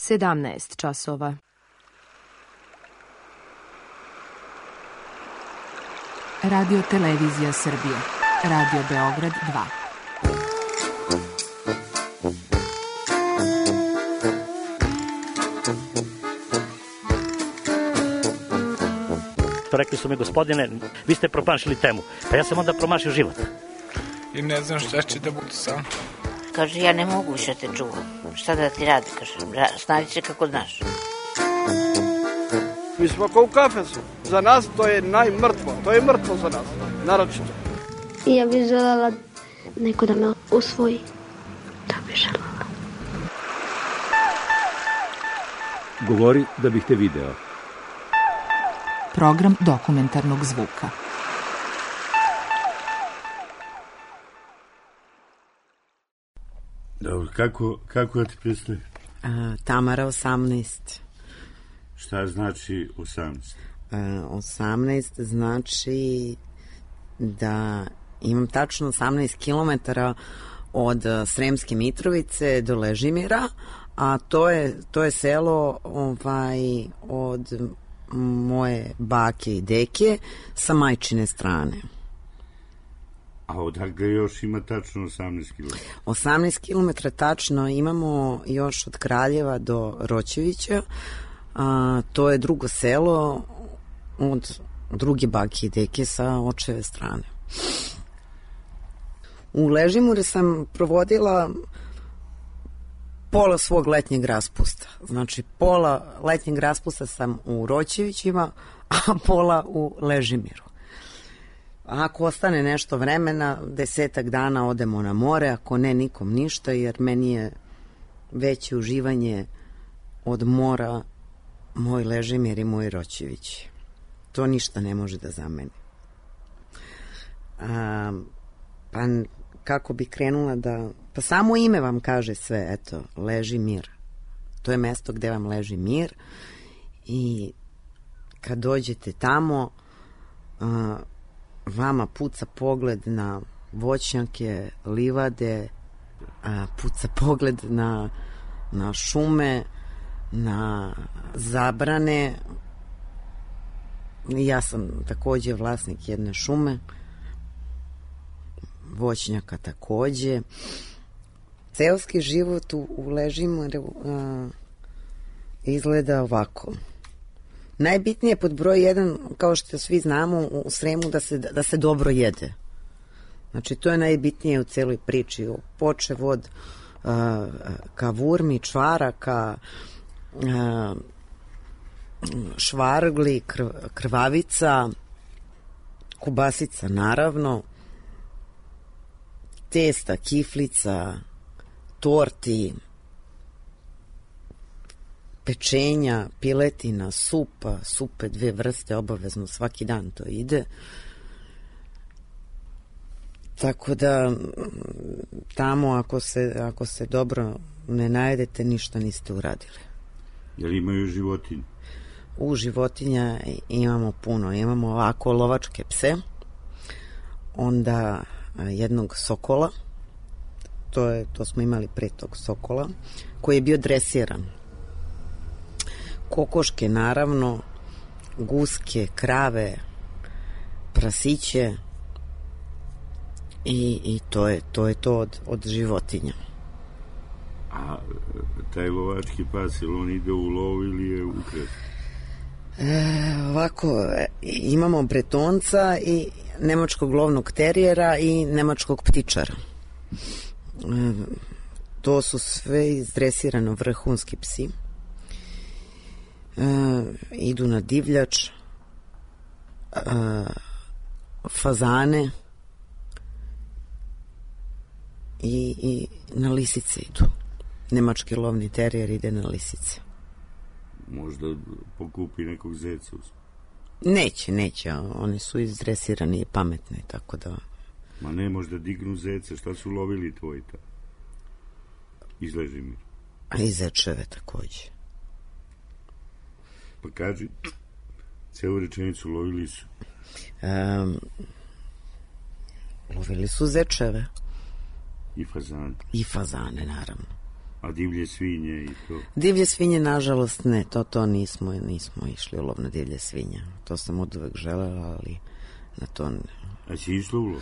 17 časova. Radio Televizija Srbije. Radio Beograd 2. Rekli su mi, gospodine, vi ste promašili temu. Pa ja sam onda promašio život. I ne znam šta će da bude sam. Kaže, ja ne mogu više te čuvam. Šta da ti radi, kaže, snađi se kako znaš. Mi smo kao u kafesu. Za nas to je najmrtvo. To je mrtvo za nas, naročito. I ja bih želela neko da me usvoji. To bih želela. Govori da bih te video. Program dokumentarnog zvuka. Dobro, kako ja ti predstavim? Tamara 18. Šta znači 18? 18 znači da imam tačno 18 kilometara od Sremske Mitrovice do Ležimira, a to je selo od moje bake i deke sa majčine strane. A odakle još ima tačno 18 km? 18 km tačno imamo još od Kraljeva do Roćevića. To je drugo selo od druge bake i deke sa očeve strane. U Ležimure sam provodila pola svog letnjeg raspusta. Znači, pola letnjeg raspusta sam u Roćevićima, a pola u Ležimiru. Ako ostane nešto vremena, 10 dana odemo na more, ako ne, nikom ništa, jer meni je veće uživanje od mora moj Ležimir i moj Roćević. To ništa ne može da zameni. Pa kako bi krenula da... Pa samo ime vam kaže sve, eto, Ležimir. To je mesto gde vam leži mir i kad dođete tamo, vama puca pogled na voćnjake, livade, puca pogled na šume, na zabrane. Ja sam takođe vlasnik jedne šume, voćnjaka takođe. Seoski život u Ležimiru izgleda ovako. Najbitnije je pod broj 1, kao što svi znamo u Sremu, da se dobro jede. Znači, to je najbitnije u celoj priči. Počev od kavurmi, čvaraka, švargli, krvavica, kobasica naravno, testa, kiflica, torti, pečenja, piletina, supe 2 vrste, obavezno svaki dan to ide. Tako da tamo ako se dobro ne najedete, ništa niste uradili. Jel imaju životinje? U životinja imamo puno. Imamo ovako lovačke pse, onda jednog sokola, to smo imali pre tog sokola, koji je bio dresiran. Kokoške naravno, guske, krave, prasiće i to je to od životinja. A taj lovački pas, ili on ide u lov ili je ukret? Ovako, imamo bretonca i nemačkog lovnog terijera i nemačkog ptičara. To su sve izdresirano vrhunski psi. Idu na divljač, fazane i na lisice idu. Nemački lovni terijer ide na lisice. Možda pokupi nekog zeca? Neće, oni su izdresirani i pametni, tako da... Ma ne, možda dignu zeca, šta su lovili tvoji ta? Iz Ležimira. A i zečeve takođe. Pa kaži, celu rečenicu lovili su? Lovili su zečeve. I fazane? I fazane, naravno. A divlje svinje i to? Divlje svinje, nažalost, ne, to nismo išli u lov na divlje svinje. To sam od uvek želela, ali na to ne. A si išla u lov?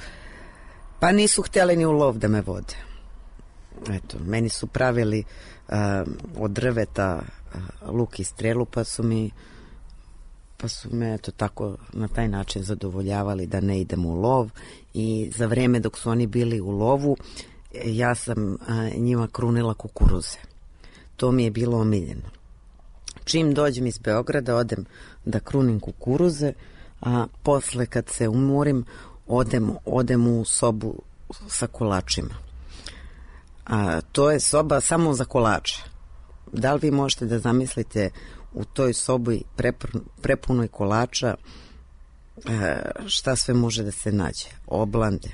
Pa nisu htjeli ni u lov da me vode. Eto, meni su pravili od drveta luk i strelu, pa su me eto tako na taj način zadovoljavali da ne idem u lov, i za vreme dok su oni bili u lovu ja sam njima krunila kukuruze. To mi je bilo omiljeno. Čim dođem iz Beograda odem da krunim kukuruze, a posle kad se umorim odem u sobu sa kolačima. A to je soba samo za kolače. Da li vi možete da zamislite u toj sobi prepunoj kolača šta sve može da se nađe? Oblande,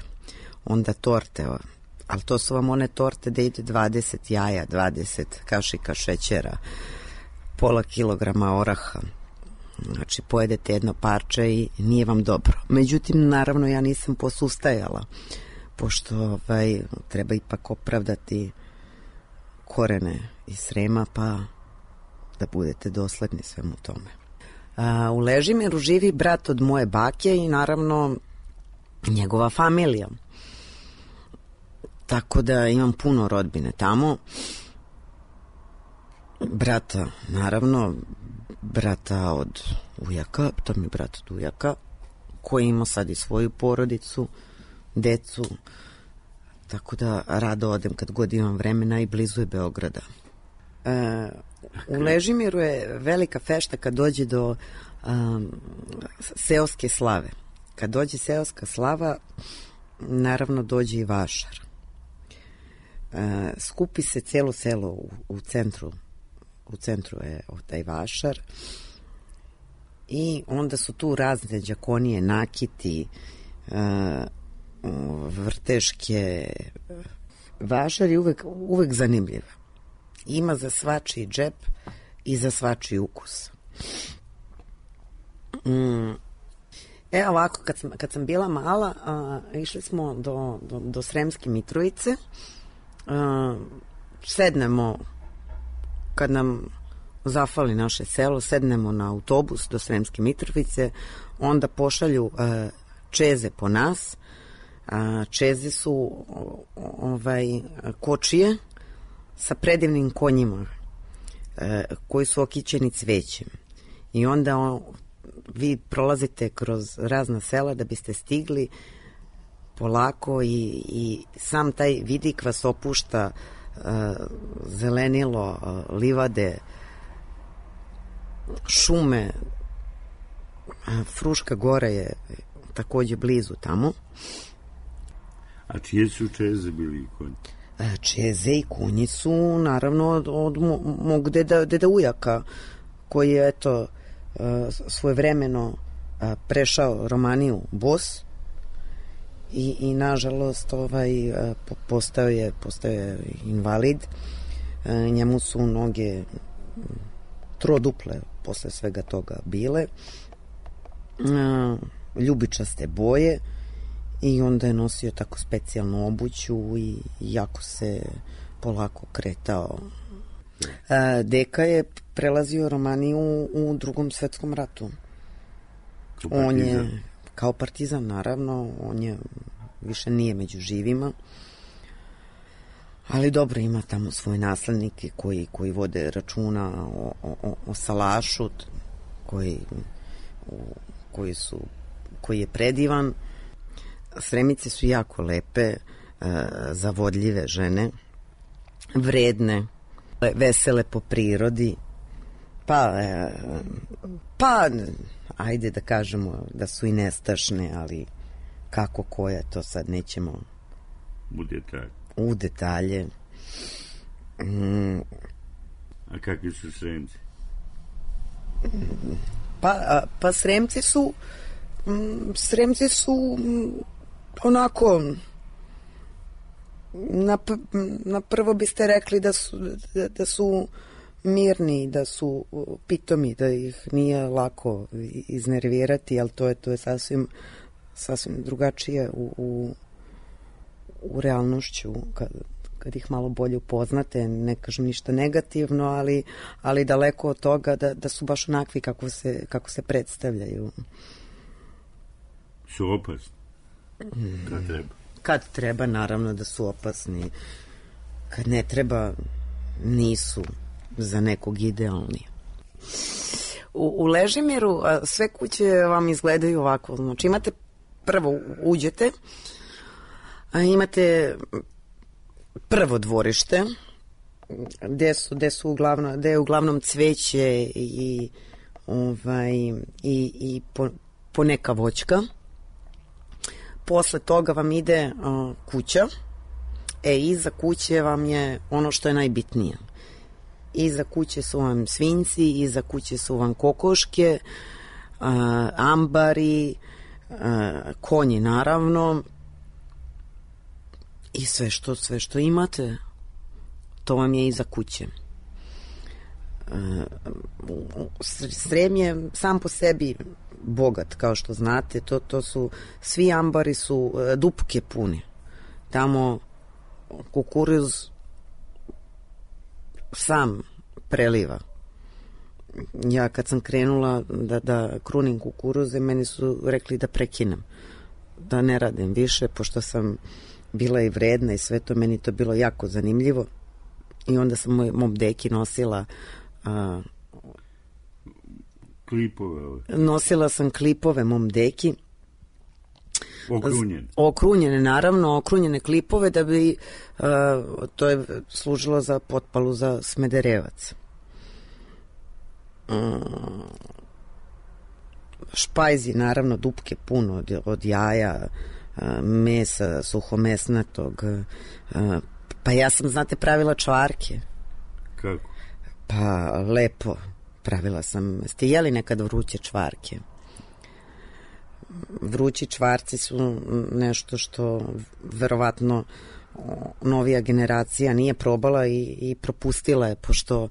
onda torte, ali to su vam one torte da ide 20 jaja, 20 kašika šećera, pola kilograma oraha. Znači, pojedete jedno parče i nije vam dobro. Međutim, naravno, ja nisam posustajala, pošto treba ipak opravdati korene iz Srema, pa da budete dosledni svemu tome. U Ležimiru živi brat od moje bake i naravno njegova familija. Tako da imam puno rodbine tamo. Brata, naravno, brata od ujaka, to mi je brat od ujaka, koji ima sad i svoju porodicu, decu, tako da rado odem kad god imam vremena i blizu je Beograda. U Ležimiru je velika fešta kad dođe do seoske slave. Kad dođe seoska slava, naravno dođe i vašar. Skupi se cijelo selo u centru je taj vašar i onda su tu razne đakonije, nakiti, vrteške. Vašar je uvek zanimljiv. Ima za svačiji džep i za svačiji ukus. Ovako, kad sam bila mala, išli smo do Sremske Mitrovice. Sednemo, kad nam zafali naše selo, sednemo na autobus do Sremske Mitrovice, onda pošalju čeze po nas. Čeze su kočije sa predivnim konjima koji su okićeni cvećem. I onda vi prolazite kroz razna sela da biste stigli polako i sam taj vidik vas opušta, zelenilo, livade, šume. Fruška Gora je takođe blizu tamo. A čije su čeze bili i konji? Čeze i konji su naravno od mog deda ujaka, koji je eto svojevremeno prešao Romaniju bos i nažalost postao je invalid. Njemu su noge troduple posle svega toga bile, ljubičaste boje, i onda je nosio tako specijalnu obuću i jako se polako kretao. Deka je prelazio Romaniju u Drugom svetskom ratu. On je kao partizan, naravno, on je više nije među živima, ali dobro, ima tamo svoje naslednike koji vode računa o salašu, koji je predivan. Sremice su jako lepe, zavodljive žene, vredne, vesele po prirodi, pa ajde da kažemo da su i nestašne, ali kako koja, to sad nećemo u detalje. A kakvi su Sremci? Pa Sremci su onako, na prvo biste rekli da su mirni, da su pitomi, da ih nije lako iznervirati, ali to je sasvim drugačije u realnošću kad ih malo bolje upoznate, ne kažem ništa negativno, ali daleko od toga da su baš onakvi kako se predstavljaju. Su opasni? Kad treba? Kad treba, naravno da su opasni. Kad ne treba, nisu za nekog idealni. U Ležimiru sve kuće vam izgledaju ovako. Znači imate, prvo uđete, imate prvo dvorište gde je uglavnom cveće i poneka voćka. Posle toga vam ide kuća. Iza kuće vam je ono što je najbitnije. Iza kuće su vam svinjci, iza kuće su vam kokoške, ambari, konji naravno, i sve što imate, to vam je iza kuće. Srem je sam po sebi bogat, kao što znate, to su, svi ambari su dupke puni. Tamo kukuruz sam preliva. Ja kad sam krenula da krunim kukuruze, meni su rekli da prekinem, da ne radim više, pošto sam bila i vredna i sve to, meni to bilo jako zanimljivo. I onda sam mom deki nosila klipove. Nosila sam klipove mom deki. Okrunjene. Okrunjene, naravno, okrunjene klipove da bi to je služilo za potpalu za Smederevac. Špajzi, naravno, dupke puno od jaja, mesa, suhomesnatog. Pa ja sam, znate, pravila čvarke. Kako? Pa lepo. Pravila sam. Ste jeli nekad vruće čvarke? Vrući čvarci su nešto što verovatno novija generacija nije probala i propustila je, pošto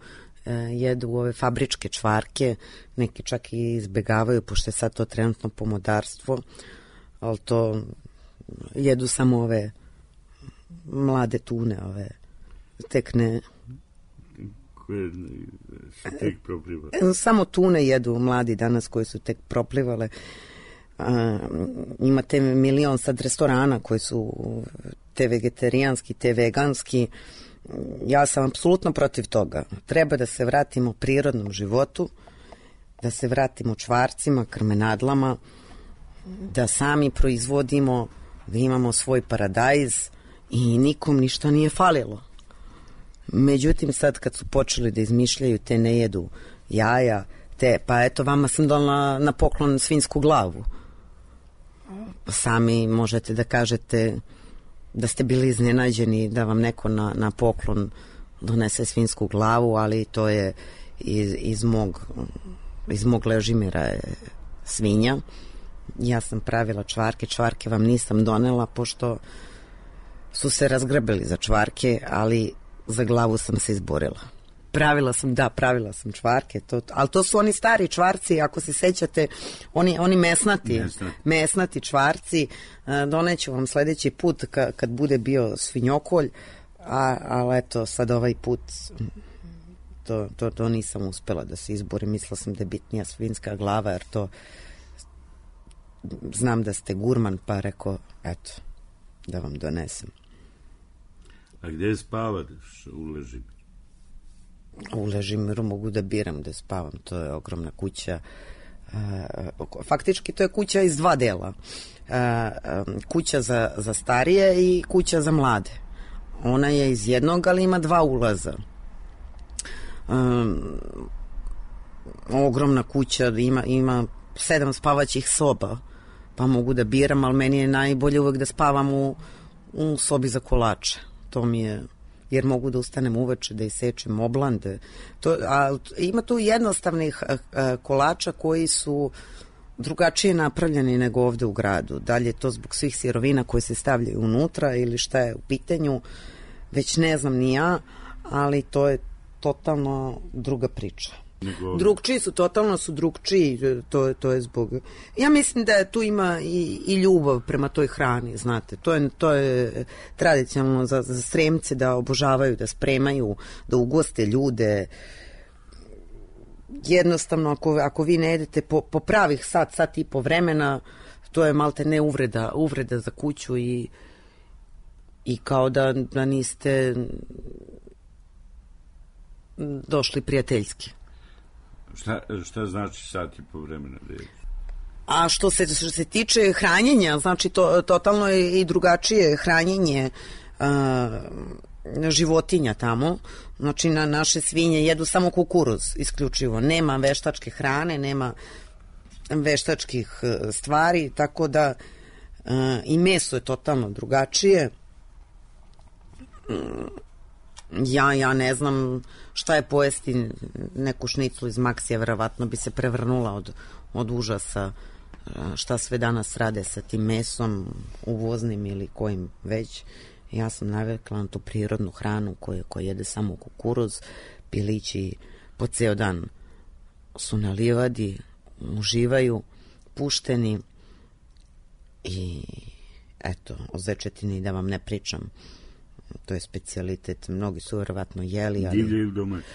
jedu ove fabričke čvarke, neki čak i izbegavaju, pošto je sad to trenutno pomodarstvo, ali to jedu samo ove mlade tune, ove tek ne... Koje su tek proplivale? Samo tune jedu mladi danas koji su tek proplivale. Imate milion sad restorana koji su te vegetarijanski, te veganski. Ja sam apsolutno protiv toga. Treba da se vratimo prirodnom životu, da se vratimo čvarcima, krmenadlama, da sami proizvodimo, da imamo svoj paradajz i nikom ništa nije falilo. Međutim, sad kad su počeli da izmišljaju te ne jedu jaja, pa eto, vama sam donela na poklon svinjsku glavu. Sami možete da kažete da ste bili iznenađeni da vam neko na poklon donese svinjsku glavu, ali to je iz mog Ležimira je svinja. Ja sam pravila čvarke vam nisam donela, pošto su se razgrabili za čvarke, ali za glavu sam se izborila. Pravila sam čvarke, ali to su oni stari čvarci, ako se sećate, oni mesnati čvarci. Doneću vam sledeći put kad bude bio svinjokolj, ali eto, sad ovaj put to nisam uspela da se izborim. Mislila sam da je bitnija svinjska glava, jer to znam da ste gurman, pa rekao, eto, da vam donesem. A gde spavaš u Ležimiru? U Ležimiru mogu da biram gde spavam, to je ogromna kuća. Faktički to je kuća iz dva dela. Kuća za starije i kuća za mlade. Ona je iz jednog, ali ima dva ulaza. Ogromna kuća, ima 7 spavaćih soba, pa mogu da biram, ali meni je najbolje uvek da spavam u sobi za kolače. To mi je, jer mogu da ustanem uveče, da isečem oblande. Ima tu jednostavnih kolača koji su drugačije napravljeni nego ovde u gradu. Dalje je to zbog svih sirovina koje se stavljaju unutra ili šta je u pitanju, već ne znam ni ja, ali to je totalno druga priča. Drugčiji su, totalno su drugčiji, to je zbog... Ja mislim da tu ima i ljubav prema toj hrani, znate. To je tradicionalno za Sremce da obožavaju, da spremaju, da ugoste ljude. Jednostavno, ako vi ne jedete po pravih sat i po vremena, to je malte ne uvreda za kuću i kao da niste došli prijateljski. Šta znači sat i po vremena da jedeš? A što se tiče hranjenja, znači totalno je i drugačije hranjenje životinja tamo. Znači naše svinje jedu samo kukuruz isključivo. Nema veštačke hrane, nema veštačkih stvari, tako da i meso je totalno drugačije. Ja ne znam šta je pojesti neku šniclu iz Maksija, verovatno bi se prevrnula od užasa šta sve danas rade sa tim mesom, uvoznim ili kojim već. Ja sam navikla na tu prirodnu hranu koja jede samo kukuruz, pilići po ceo dan su na livadi, uživaju, pušteni i eto, o zečetini da vam ne pričam. To je specijalitet, mnogi su verovatno jeli. Ali... Divlje ili domaće?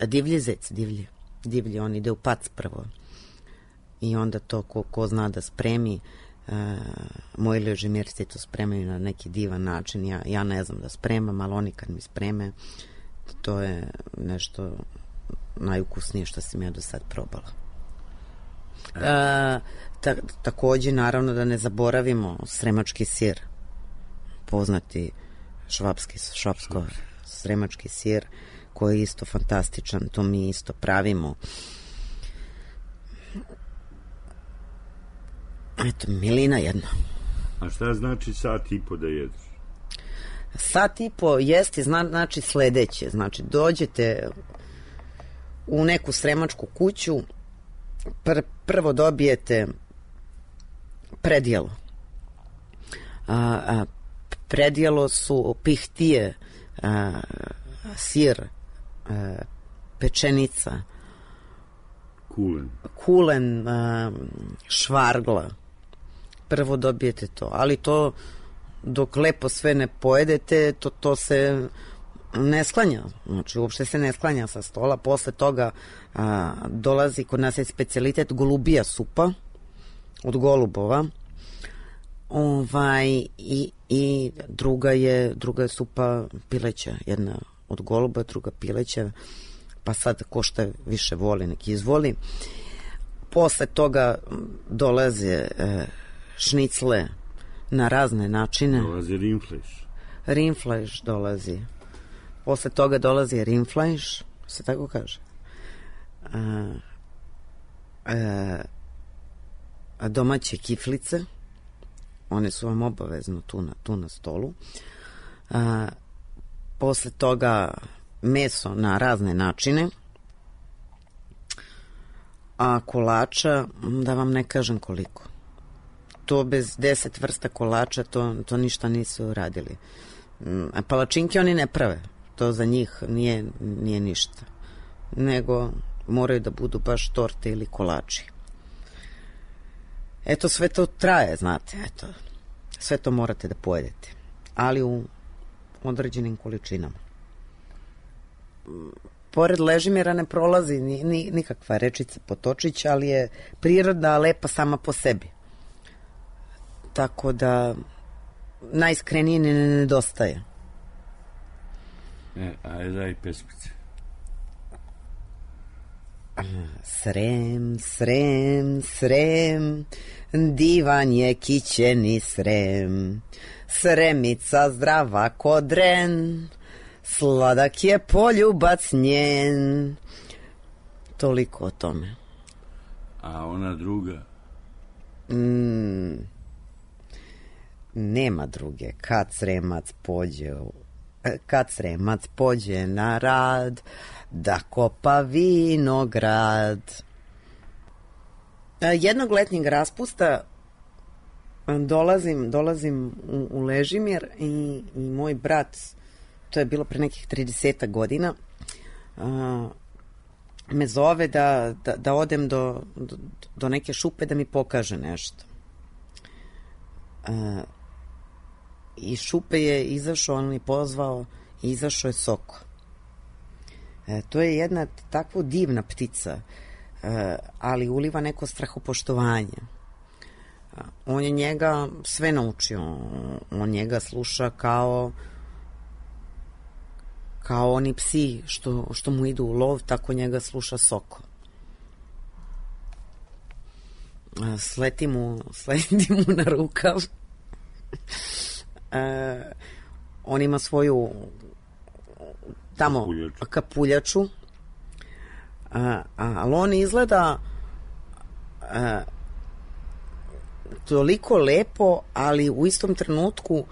Divlji zec, divlji, on ide u pac prvo. I onda to ko zna da spremi, moji ležimirci to spremaju na neki divan način. Ja ne znam da spremam, ali oni kad mi spreme, to je nešto najukusnije što sam ja do sad probala. Takođe, naravno da ne zaboravimo sremački sir, poznati švapsko-sremački sir, koji je isto fantastičan, to mi isto pravimo. Eto, milina jedna. A šta znači sat i po da jedeš? Sat i po jesti znači sledeće. Znači, dođete u neku sremačku kuću, prvo dobijete predjelo. Predjelo su pihtije, sir, pečenica, kulen, švargla. Prvo dobijete to, ali to dok lepo sve ne pojedete, to se ne sklanja, znači uopšte se ne sklanja sa stola. Posle toga dolazi, kod nas je specijalitet golubija supa od golubova, i druga je supa pileća, jedna od goluba, druga pileća, pa sad ko šta više voli, neki izvoli. Posle toga dolaze šnicle na razne načine. Dolazi rinfleš. Rinfleš dolazi. Posle toga dolazi rinfleš, se tako kaže. Domaće kiflice, one su vam obavezno tu na stolu. Posle toga meso na razne načine, a kolača, da vam ne kažem koliko. To bez 10 vrsta kolača, to ništa nisu uradili. A palačinke oni ne prave, to za njih nije ništa, nego moraju da budu baš torte ili kolači. Eto, sve to traje, znate, eto, sve to morate da pojedete, ali u određenim količinama. Pored Ležimira ne prolazi nikakva rečica Potočić, ali je priroda lepa sama po sebi. Tako da najiskrenije ne nedostaje. Ajde, daj pesmice. Srem, Srem, Srem, divan je kićeni Srem, Sremica zdrava ko dren, sladak je poljubac njen. Toliko o tome. A ona druga? Nema druge. Kad Sremac pođe na rad, da kopa vinograd. Jednog letnjeg raspusta dolazim u Ležimir i moj brat, to je bilo pre nekih 30 godina, me zove da odem do neke šupe da mi pokaže nešto. Iz šupe je izašao, on mi pozvao i izašao je Soko. To je jedna takva divna ptica, ali uliva neko strahopoštovanje. On je njega sve naučio, on njega sluša kao oni psi što mu idu u lov, tako njega sluša Soko. Sleti mu na rukav. On ima svoju tamo kapuljaču, ali on izgleda toliko lepo, ali u istom trenutku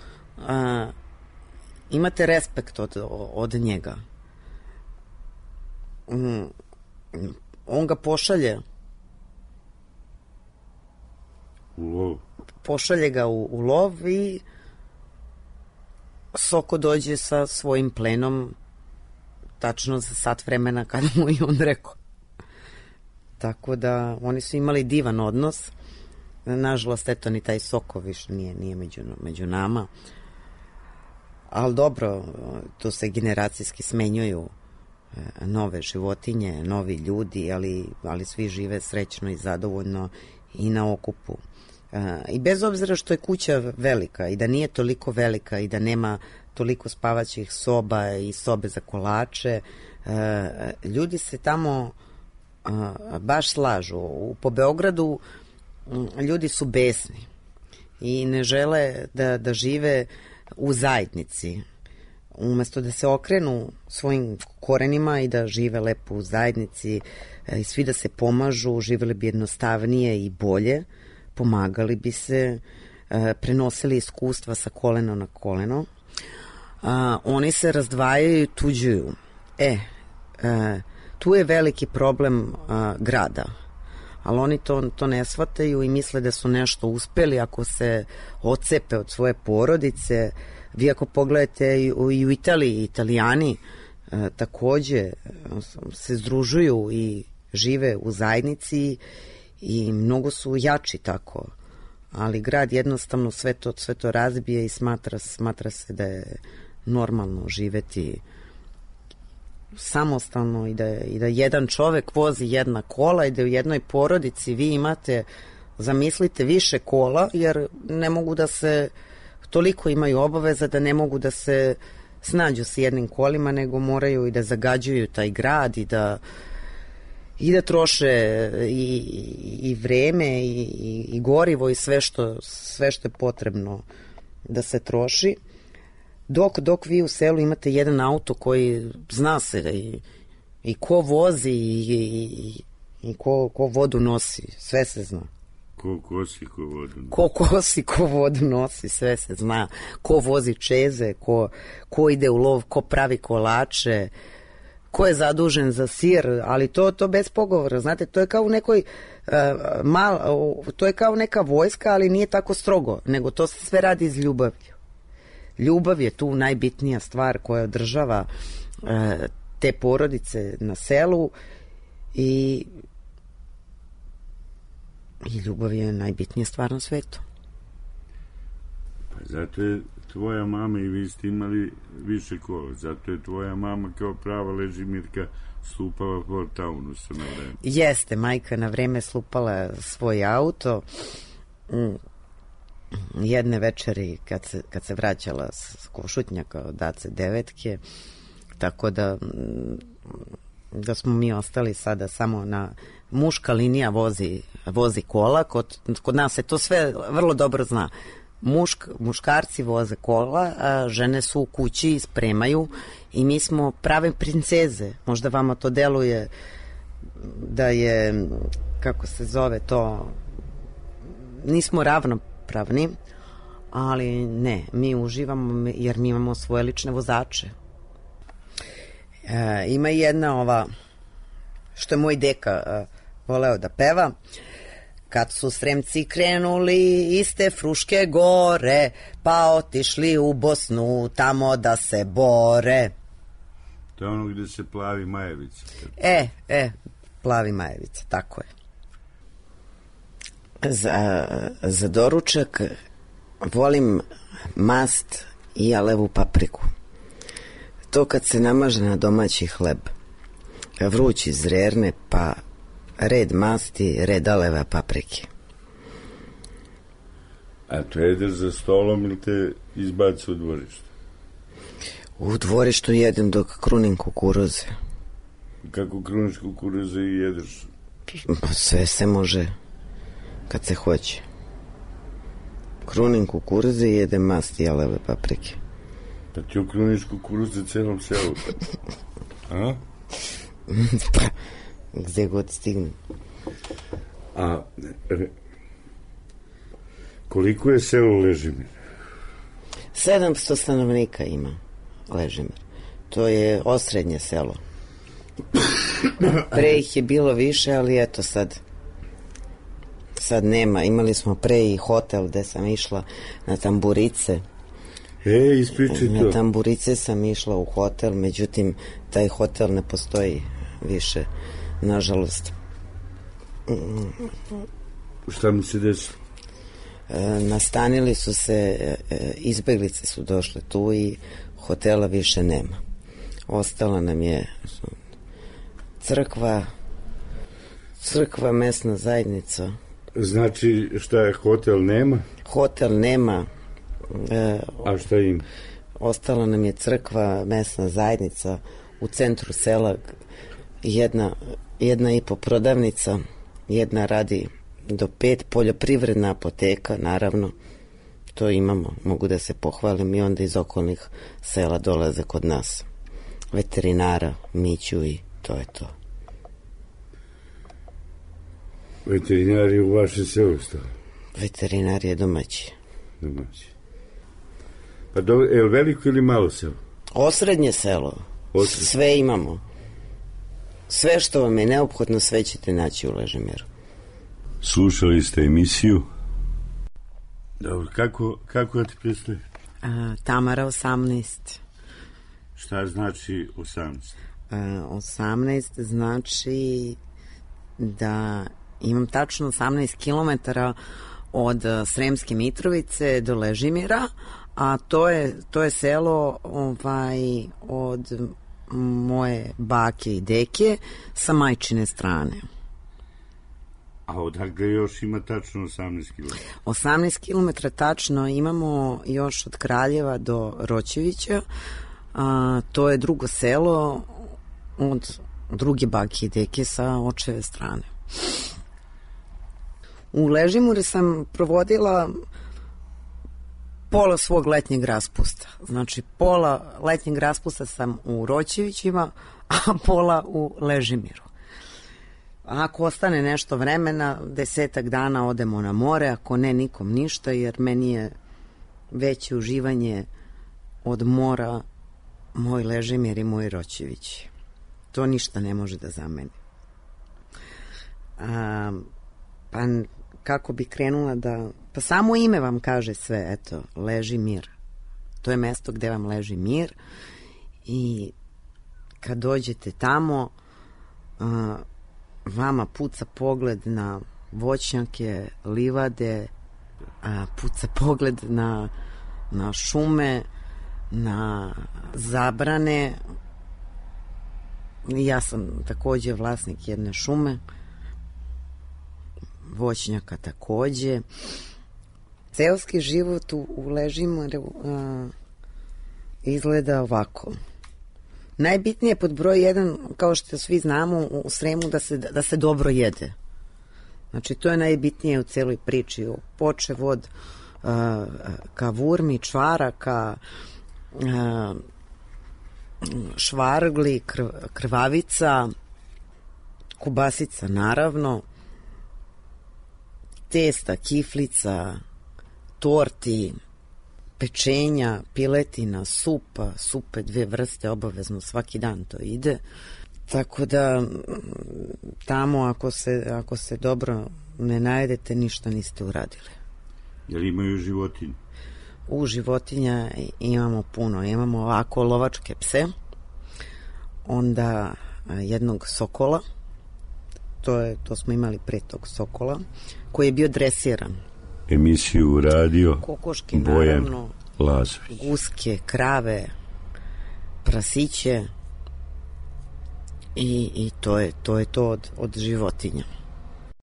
imate respekt od njega. On ga pošalje u lov. Pošalje ga u lov i Soko dođe sa svojim plenom tačno za sat vremena kada mu i on rekao. Tako da oni su imali divan odnos. Nažalost, eto, ni taj Soko više nije među nama. Ali dobro, tu se generacijski smenjuju nove životinje, novi ljudi, ali svi žive srećno i zadovoljno i na okupu. I bez obzira što je kuća velika i da nije toliko velika i da nema toliko spavaćih soba i sobe za kolače, ljudi se tamo baš slažu. Po Beogradu ljudi su besni i ne žele da žive u zajednici. Umesto da se okrenu svojim korenima i da žive lepo u zajednici i svi da se pomažu, živjeli bi jednostavnije i bolje, pomagali bi se, prenosili iskustva sa kolena na koleno. Oni se razdvajaju i tuđuju. Tu je veliki problem grada, ali oni to ne shvataju i misle da su nešto uspeli ako se odcepe od svoje porodice. Vi ako pogledate i u Italiji, Italijani takođe se združuju i žive u zajednici i mnogo su jači tako, ali grad jednostavno sve to razbije i smatra se da je normalno živeti samostalno i da jedan čovek vozi jedna kola i da u jednoj porodici vi imate, zamislite, više kola, jer ne mogu da se, toliko imaju obaveza da ne mogu da se snađu s jednim kolima, nego moraju i da zagađuju taj grad i da troše i vreme i gorivo i sve što je potrebno da se troši. Dok vi u selu imate jedan auto koji zna se i ko vozi i ko vodu nosi, sve se zna. Ko kosi, ko vodu nosi. Ko kosi, ko vodu nosi, sve se zna. Ko vozi čeze, ko ide u lov, ko pravi kolače, ko je zadužen za sir, ali to bez pogovora, znate, to je kao u nekoj to je kao neka vojska, ali nije tako strogo, nego to se sve radi iz ljubavlju. Ljubav je tu najbitnija stvar koja održava te porodice na selu i ljubav je najbitnija stvar na svetu. Pa zato je tvoja mama i vi ste imali više kola, zato je tvoja mama kao prava Ležimirka slupala Fort Taunusa na vreme. Jeste, majka na vreme slupala svoj auto. Jedne večeri kad se vraćala s Košutnjaka od Dace Devetke, tako da smo mi ostali sada samo na muška linija vozi kola, kod nas se to sve vrlo dobro zna. Muškarci voze kola, a žene su u kući i spremaju i mi smo prave princeze. Možda vama to deluje da je, kako se zove to, nismo ravnopravni, ali ne, mi uživamo jer mi imamo svoje lične vozače. Ima i jedna što je moj deka voleo da peva. Kad su Sremci krenuli iz te Fruške gore, pa otišli u Bosnu tamo da se bore. To je ono gde se plavi Majevica. Plavi Majevica, tako je. Za doručak volim mast i jalevu papriku. To kad se namaže na domaći hleb, vrući zrerne, pa red masti, red aleve paprike. A to jedeš za stolom ili te izbaci u dvorište? U dvorištu jedem dok krunim kukuruze. Kako kruniš kukuruze i jedeš? Sve se može kad se hoće. Krunim kukuruze i jedem masti i aleve paprike. Pa ti okruniš kukuruze celom selu? A? Pa, gde god stignem. A koliko je selo Ležimir? 700 stanovnika ima Ležimir. To je osrednje selo. Pre ih je bilo više, ali eto sad nema. Imali smo pre i hotel gde sam išla na tamburice. Ispričaj to. Na tamburice sam išla u hotel, međutim taj hotel ne postoji više, nažalost. Šta mi se desilo? Nastanili su se, izbeglice su došle tu i hotela više nema. Ostala nam je crkva, mesna zajednica. Znači, šta je, hotel nema? Hotel nema. A šta ima? Ostala nam je crkva, mesna zajednica u centru sela, jedna i po prodavnica, jedna radi do 5, poljoprivredna apoteka, naravno, to imamo, mogu da se pohvalim, i onda iz okolnih sela dolaze kod nas veterinara, Miću, i to je to. Veterinar je u vašem selu stao? Veterinar je domaći. Pa dobro, je li veliko ili malo selo? Osrednje selo. Sve imamo. Sve što vam je neophodno, sve ćete naći u Ležimiru. Slušali ste emisiju. Dobro, kako da ti predstavim? Tamara 18. Šta znači 18? 18 znači da imam tačno 18 kilometara od Sremske Mitrovice do Ležimira, a to je selo od moje bake i deke sa majčine strane. A odakle još ima tačno 18 km? 18 km tačno imamo još od Kraljeva do Roćevića. To je drugo selo od druge bake i deke sa očeve strane. U Ležimure sam provodila pola svog letnjeg raspusta. Znači, pola letnjeg raspusta sam u Roćevićima, a pola u Ležimiru. Ako ostane nešto vremena, 10 dana odemo na more, ako ne, nikom ništa, jer meni je veće uživanje od mora moj Ležimir i moj Roćević. To ništa ne može da zameni. Pa kako bi krenula da... Pa samo ime vam kaže sve, eto, Ležimir. To je mesto gde vam leži mir i kad dođete tamo, vama puca pogled na voćnjake, livade, puca pogled na šume, na zabrane. Ja sam takođe vlasnik jedne šume, voćnjaka takođe. Seoski život u Ležimiru izgleda ovako. Najbitnije pod broj 1, kao što svi znamo u Sremu, da se dobro jede. Znači, to je najbitnije u celoj priči. Počev od kavurmi, čvaraka, švargli, krvavica, kubasica, naravno, testa, kiflica, torti, pečenja, piletina, supe 2 vrste, obavezno svaki dan to ide. Tako da tamo ako se dobro ne najedete, ništa niste uradili. Jel imaju životinje? U životinja imamo puno. Imamo ovako lovačke pse, onda jednog sokola, to smo imali pre tog sokola, koji je bio dresiran. Emisiju radio kokoške, Bojan naravno, Lazović. guske, krave, prasiće i to je to od životinja.